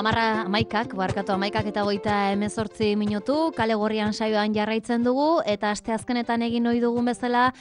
Amaikak eta 38 minutu, kale gorrian saioan jarraitzen dugu, eta asteazkenetan egin ohi dugun bezala,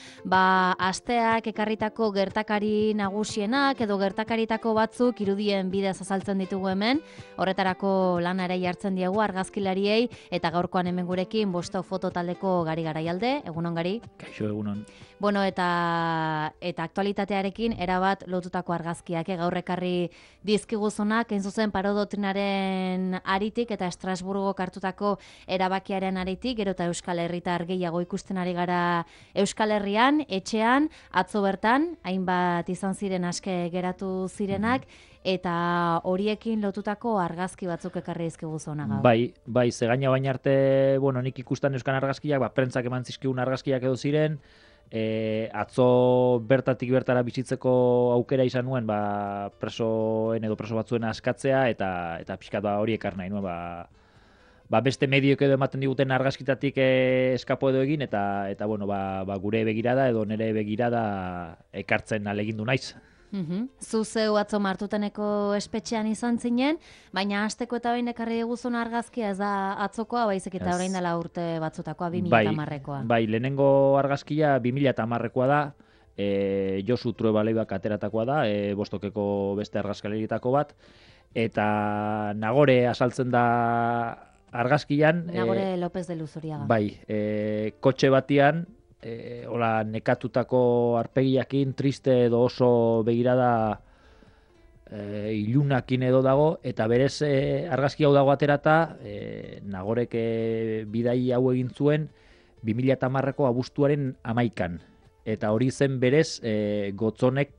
asteak ekarritako gertakari nagusienak edo gertakaritako batzuk irudien bidez azaltzen ditugu hemen, horretarako lana ere jartzen diegu argazkilariei, eta gaurkoan hemen gurekin Bosto foto taldeko Gari Garaialde, egunon Gari? Kaixo, egunon. Bueno, eta aktualitatearekin erabat lotutako argazkiak, gaur ekarri dizkiguzunak, hain zuzen parodotrinaren aritik eta Estrasburgok hartutako erabakiaren aritik, gero eta Euskal Herritar gehiago ikusten ari gara Euskal Herrian, etxean, atzo bertan, hainbat izan ziren aske geratu zirenak, eta horiekin lotutako argazki batzuk ekarri dizkiguzuna gaur. Bai, zegaina baina arte, nik ikustan euskan argazkiak, prentsak eman zizkigun argazkiak edo ziren, atzo bertatik bertara bizitzeko aukera izan nuen, presoen edo preso batzuen askatzea, eta pixkat hori ekar nahi nuen, beste medioek edo ematen diguten argazkitatik eskapo edo egin, eta gure begirada edo nire begirada ekartzen alegindu naiz. Zu zeu atzo Martuteneko espetxean izan zinen, baina hasteko eta behin ekarri diguzun argazkia ez da atzokoa, baizik eta orain dela urte batzutakoa, 2010koa. Bai, lehenengo argazkia 2010koa da, Josu Trueba-Leibak ateratakoa da, Bostokeko beste argazkaleritako bat, eta Nagore azaltzen da argazkian. Nagore López de Luzuriaga. Bai, kotxe batian, nekatutako arpegiakin, triste edo oso begirada ilunakin edo dago, eta berez argazki hau dago aterata, Nagorek bidai hau egin zuen 2010ko abuztuaren 11an, eta hori zen berez Gotzonek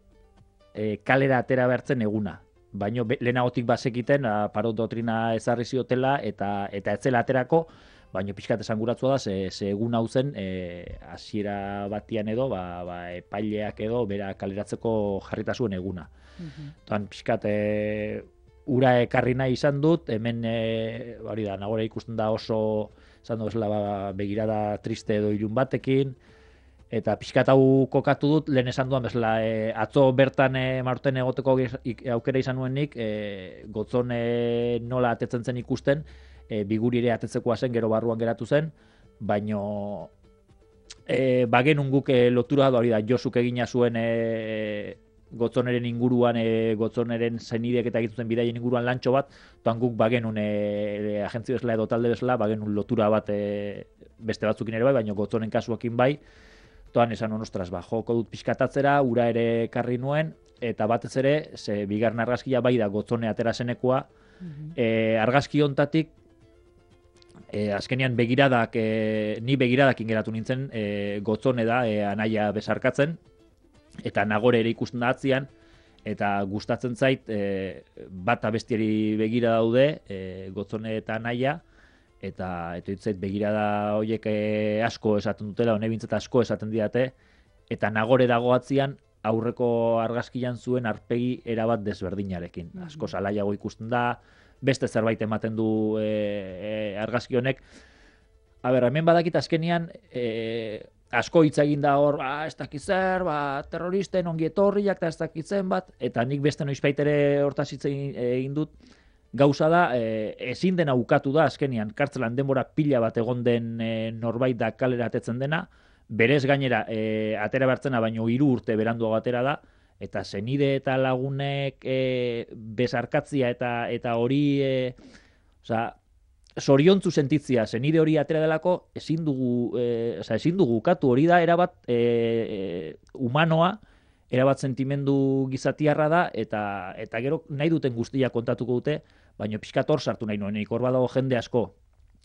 kalera atera behartzen eguna. Baina lehenagotik bazekiten parodoktrina ezarri ziotela eta etzela aterako, baina pixkat esanguratzua da, ze egun hau zen, hasiera batian edo, epaileak edo, bera kaleratzeko jarrita zuen eguna. Toan pixkat ura ekarri nahi izan dut, hemen, hori da, Nagore ikusten da oso, izan du begirada triste edo ilun batekin, eta pixkat hau kokatu dut, lehen esan duan bezala, atzo bertan Martuten egoteko aukera izan nuenik, Gotzon nola atetzen zen ikusten, biguri ere atetzekoa zen, gero barruan geratu zen, baino bagenun guk lotura da hori da, Josuk egina zuen Gotzoneren inguruan, Gotzoneren zenidek eta egiten bidaien inguruan lantxo bat, toan guk bagenun agentzi bezala edo talde bezala, bagenun lotura bat beste batzukin ere bai, baina Gotzonen kasuakin bai, toan esan ostras, joko dut pixkatatzera, ura ere karri nuen, eta batez ere, ze bigarren argazkia bai da Gotzone atera zenekoa, argazki hontatik, azkenean ni begiradakin geratu nintzen, Gotzone da anaia besarkatzen, eta Nagore ere ikusten da atzian, eta gustatzen zait, bat abestiari begira daude, Gotzone eta anaia, eta hitzait begirada horiek asko esaten dutela, hone bintzat asko esaten didate, eta Nagore dago atzian, aurreko argazkian zuen arpegi erabat desberdinarekin. Asko salaiago ikusten da, beste zerbait ematen du argazki honek. Hemen badakit azkenian, asko hitz egin da hor, ez dakit zer, terroristen ongi etorriak eta ez dakit zen bat, eta nik beste noizbait ere hortaz hitz egin dut, gauza da, ezin dena ukatu da azkenian, kartzelan denbora pila bat egon den norbait da kalera atetzen dena, berez gainera atera bertzena baino 3 urte beranduago atera da, eta zenide eta lagunek besarkatzia eta hori, zoriontzu sentitzia, zenide hori atera delako, ezin dugu ukatu, hori da erabat humanoa, erabat sentimendu gizatiarra da, eta gero nahi duten guztia kontatuko dute, baina pixkat hor sartu nahi nuen, hor badago jende asko,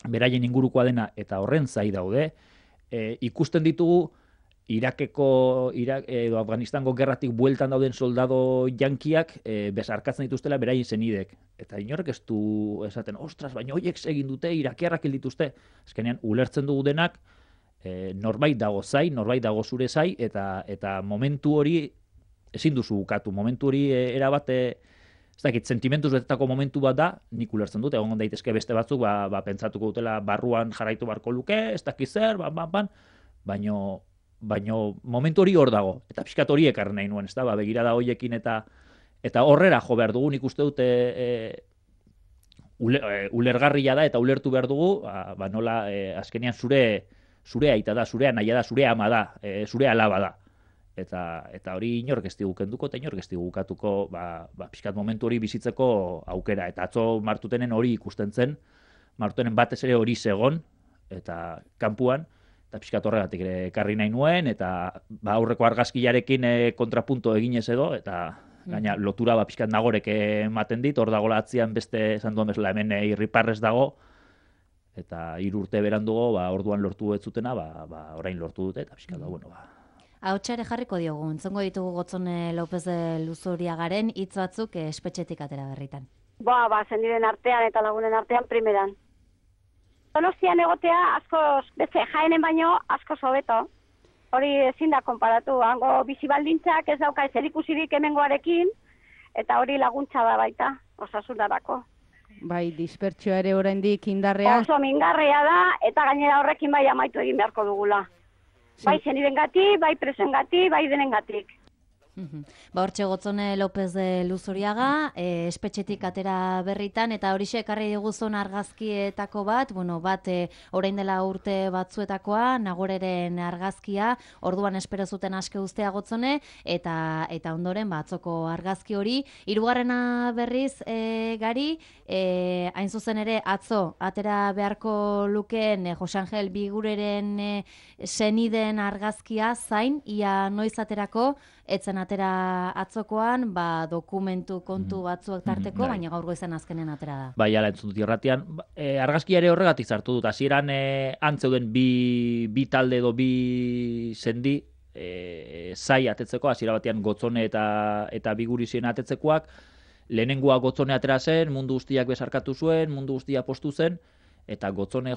beraien ingurukoa dena, eta horren zai daude, ikusten ditugu, Irakeko edo Afganistango gerratik bueltan dauden soldado jankiak besarkatzen dituztela beraien zenidek. Eta inorrek ez du esaten, ostras, baina horiek egin dute, irakiarrak hil dituzte. Azkenean, ulertzen dugu denak, norbait dago zai, norbait dago zure zai, eta momentu hori ezin duzu ukatu. Momentu hori erabat, ez dakit, sentimentuz betetako momentu bat da, nik ulertzen dut, egon daitezke beste batzuk, pentsatuko dutela barruan jarraitu barko luke, ez dakit zer, baina momentu hori hor dago, eta pixkat hori ekarri nahi nuen, begirada horiekin eta horrera jo behar dugu, nik uste dute ulergarria da eta ulertu behar dugu, nola azkenean zure aita da, zure anaia da, zure ama da, zure alaba da. Eta hori inork ez digu kenduko eta inork ez digu ukatuko pixkat momentu hori bizitzeko aukera. Eta atzo Martutenen hori ikusten zen, Martutenen batez ere hori zegon, eta kanpuan, eta pixkat horregatik ere ekarri nahi nuen, eta aurreko argazkiarekin kontrapunto eginez edo, eta gaina lotura pixkat nagorek ematen dit, hor dagoela atzian beste esan duen bezala hemen irriparrez dago, eta 3 urte berandugo, orduan lortu ez zutena, orain lortu dute, eta pixkat Ahotsa ere jarriko diogu, entzongo ditugu Gotzone López de Luzuriagaren hitz batzuk espetxetik atera berritan. Zendiren artean eta lagunen artean primeran. Donostian egotea askoz, beste Jaenen baino askoz hobeto. Hori ezin da konparatu, hango bizi baldintzak ez dauka zerikusirik hemengoarekin, eta hori laguntza da baita, osasunarako. Bai, dispertsioa ere oraindik indarrean. Oso mingarria da, eta gainera horrekin bai amaitu egin beharko dugula. Bai zenirengatik, bai presengatik, bai denengatik. Hortxe Gotzone López de Luzuriaga, espetxetik atera berritan, eta horixe ekarri diguzun argazkietako bat, orain dela urte batzuetakoa, Nagoreren argazkia, orduan espero zuten aske ustea Gotzone, eta ondoren atzoko argazki hori. Hirugarrena berriz, Gari, hain zuzen ere atzo, atera beharko lukeen Jose Angel Bigureren seniden argazkia zain, ia noiz aterako, etzen atera atzokoan, dokumentu kontu batzuak tarteko, baina gaur goizan azkenen atera da. Bai, ala entzun dut irratian. Argazkia ere horregatik zartu dut. Hasieran antzeuden bi talde edo bi sendi zai atetzeko, hasiera batean Gotzone eta Bigurizien atetzekoak. Lehenengoa Gotzone atera zen, mundu guztiak besarkatu zuen, mundu guztia postu zen, eta Gotzone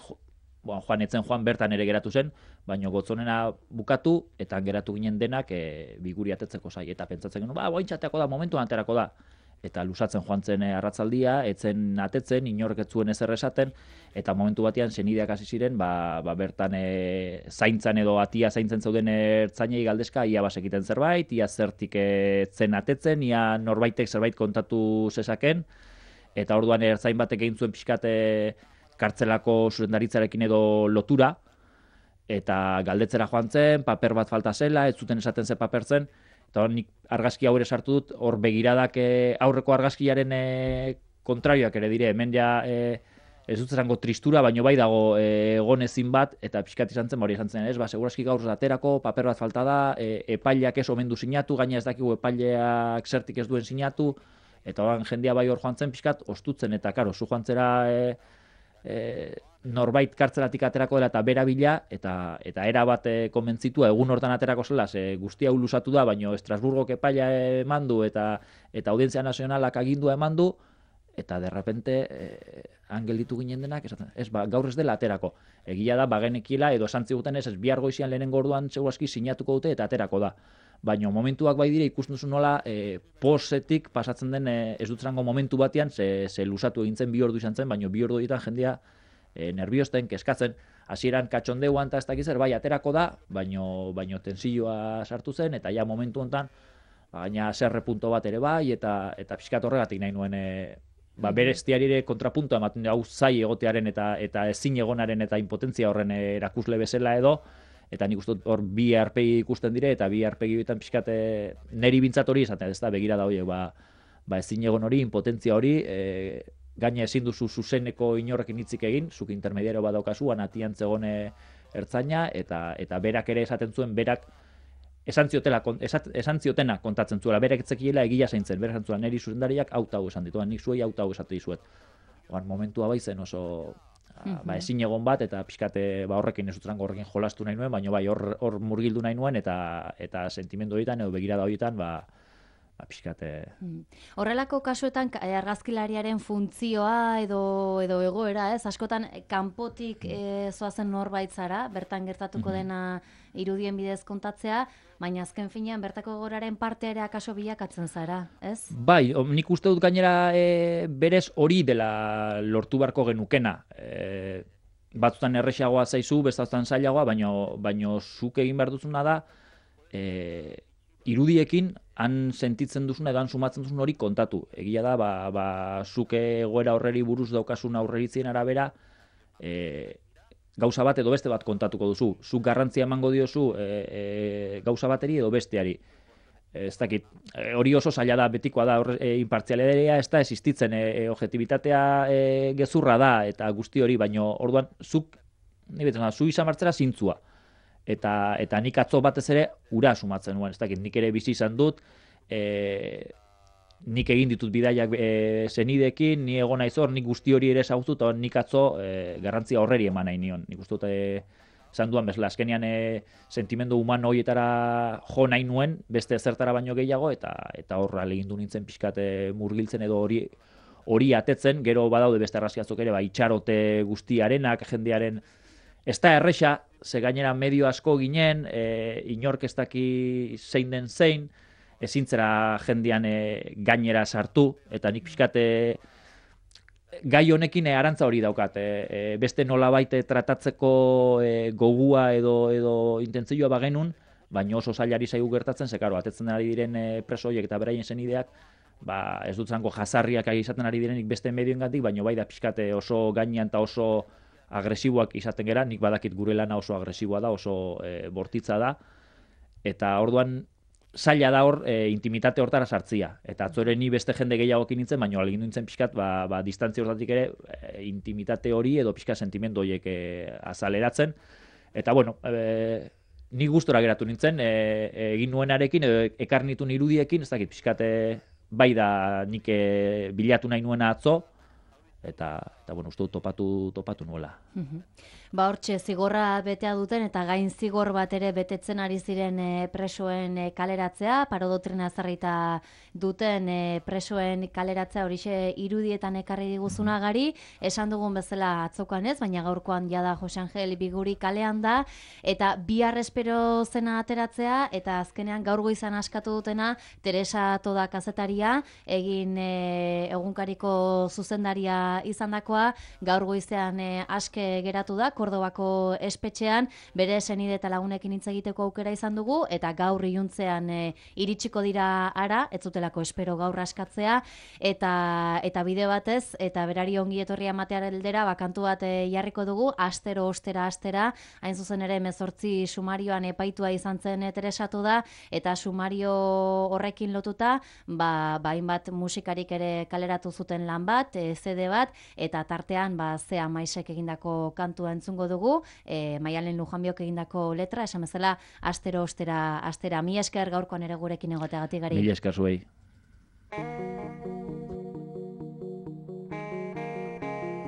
joan bertan ere geratu zen, baina Gotzonena bukatu, eta geratu ginen denak Biguri atetzeko zai. Eta pentsatzen genuen, oaintxateako da, momentuan aterako da. Eta lusatzen joan zen arratzaldia, etzen atetzen, inork ez zuen ezer esaten, eta momentu batean senideak hasi ziren, bertan zaintzan edo atia zaintzen zeuden ertzainei galdezka, ia basekiten zerbait, ia zertik zen atetzen, ia norbaitek zerbait kontatu zezaken, eta orduan ertzain batek egin zuen pixkate kartzelako zuzendaritzarekin edo lotura, eta galdetzera joan zen, paper bat falta zela, ez zuten esaten ze paper zen, eta nik argazki hau ere sartu dut, hor begiradak aurreko argazkiaren kontrarioak ere dire, hemen ja ez dut zango tristura, baino bai dago egon ezin bat, eta pixkat izan zen, hori izan zen, segurazki gaur aterako, paper bat falta da, epaileak ez omen du sinatu, gaina ez dakigu epaileak zertik ez duen sinatu, eta horan jendea bai hor joan zen pixkat, ostutzen, eta karo, zu joan zera norbait kartzelatik aterako dela eta bera bila, eta era bat konbentzitua egun hortan aterako zela, guztia lusatu da, baino Estrasburgok epaila eman du, eta Audientzia Nazionalak agindua eman du, eta derrepente gelditu ginen denak, esaten, gaur ez dela aterako. Egia da, bagenekiela, edo esantzi guten ez bihar goizian lehenengo orduan segurazki sinatuko dute eta aterako da. Baina momentuak bai dire ikusten duzu nola posetik pasatzen den ez dut zango momentu batean, ze lusatu egin zen 2 ordu izan zen, baina 2 ordu ditan jendea nerviosten, keskatzen, hasieran katxondeuan eta ez dakiz zer, bai aterako da, baino tensioa sartu zen, eta ja momentu honetan, baina zerre punto bat ere bai, eta pixkat horregatik nahi nuen bere estiarire kontrapuntoa ematen hau zai egotearen eta ezin egonaren eta impotentzia horren erakusle bezala edo, eta nik uste hor bi aurpegi ikusten dire, eta bi aurpegi bitan pixkat neri bintzat hori esaten, ez da, begira da horiek, ezin egon hori, impotentzia hori, gaina ezin duzu zuzeneko inorrekin hitzik egin, zuk intermediario bat daukazu, atian zegoen ertzaina, eta berak ere esaten zuen, berak esan ziotena kontatzen zuela, berak etzekiela egia zaintzen, berak esan zuela, neri zuzendariak hau esan dituan, nik zuei hau esate dizuet. Momentua baizen oso ezin egon bat, eta pixkate horrekin ez dutrango horrekin jolastu nahi nuen, baina bai hor murgildu nahi nuen, eta sentimendu horietan, edo begirada horietan, pixkate... Horrelako kasuetan argazkilariaren funtzioa edo egoera, ez? Askotan kanpotik zoazen norbait zara, bertan gertatuko dena irudien bidez kontatzea, baina azken finean bertako egoeraren parte ere akaso bilakatzen zara, ez? Bai, nik uste dut gainera berez hori dela lortu beharko genukena. Batzutan erresagoa zaizu, bestatutan zailagoa, baino zuk egin behar duzuna da, irudiekin han sentitzen duzuna edo han sumatzen duzun hori kontatu. Egia da, zuke egoera horreri buruz daukasun aurreritzien arabera, gauza bat edo beste bat kontatuko duzu. Zuk garrantzia emango diozu gauza bateri edo besteari. Ez dakit, hori oso zaila da, betikoa da, inpartzialitatea ez da existitzen, objektibitatea gezurra da, eta guzti hori, baino orduan, zu izan martzera zintzua. Eta nik atzo batez ere ura sumatzen nuen, ez dakit, nik ere bizi izan dut, nik egin ditut bidaiak zenidekin, ni egon naiz hor, nik guzti hori ere ezagutu, eta nik atzo garrantzia horreri eman nahi nion. Nik uste dut esan duan bezala, azkenean sentimendu humano horietara jo nahi nuen, beste ezertara baino gehiago, eta horra legindu nintzen pixkat murgiltzen edo hori atetzen, gero badaude beste arrazkiatzok ere, itxarote guztiarenak, jendearen, ez da erresa, ze gainera medio asko ginen, inork ez daki zein den zein, ezintzera jendean gainera sartu, eta nik pixkat gai honekin arantza hori daukat. Beste nolabait tratatzeko gogua edo intentzioa bagenun, baina oso zailari zaigu gertatzen, ze karo, atetzen ari diren preso horiek eta beraien zenideak, ez dut zango jazarriak izaten ari direnik beste medioengatik, baina bai da pixkat oso gainean eta oso agresiboak izaten gera, nik badakit gure lana oso agresiboa da, oso bortitza da, eta orduan zaila da hor intimitate hortara sartzia. Eta atzore ni beste jende gehiagokin nintzen, baina alegin nintzen pixkat, distantzia hortatik ere, intimitate hori edo pixkat sentimendu horiek azaleratzen. Eta bueno, ni gustora geratu nintzen, egin nuenarekin, edo ekarnitun irudiekin, ez dakit pixkat bai da nik bilatu nahi nuena atzo, eta bueno, uste dut topatu nuela. Hortxe, zigorra betea duten eta gain zigor bat ere betetzen ari ziren presoen kaleratzea, parodotrina ezarrita duten presoen kaleratzea horixe irudietan ekarri diguzuna gari, esan dugun bezala atzokoan ez, baina gaurkoan jada Jose Angel Biguri kalean da, eta bihar espero zena ateratzea, eta azkenean gaur goizan askatu dutena, Teresa Toda kazetaria, egin egunkariko zuzendaria izandakoa, gaur goizean aske geratu da, Kordobako espetxean, bere senide eta lagunekin hitz egiteko aukera izan dugu, eta gaur iluntzean iritsiko dira ara, ez zutelako espero gaur askatzea, eta bide batez, eta berari ongi etorria ematearen aldera, kantu bat jarriko dugu, astero, astera, hain zuzen ere 18 sumarioan epaitua izan zen Teresatu da, eta sumario horrekin lotuta, hainbat musikarik ere kaleratu zuten lan bat, CD bat, eta tartean Zea Maisek egindako kantua entzungo dugu, Maialen Lujanbiok egindako letra, esan bezala, astero, astera, mila esker gaurkoan ere gurekin egoteagatik gari. Mila esker zuei.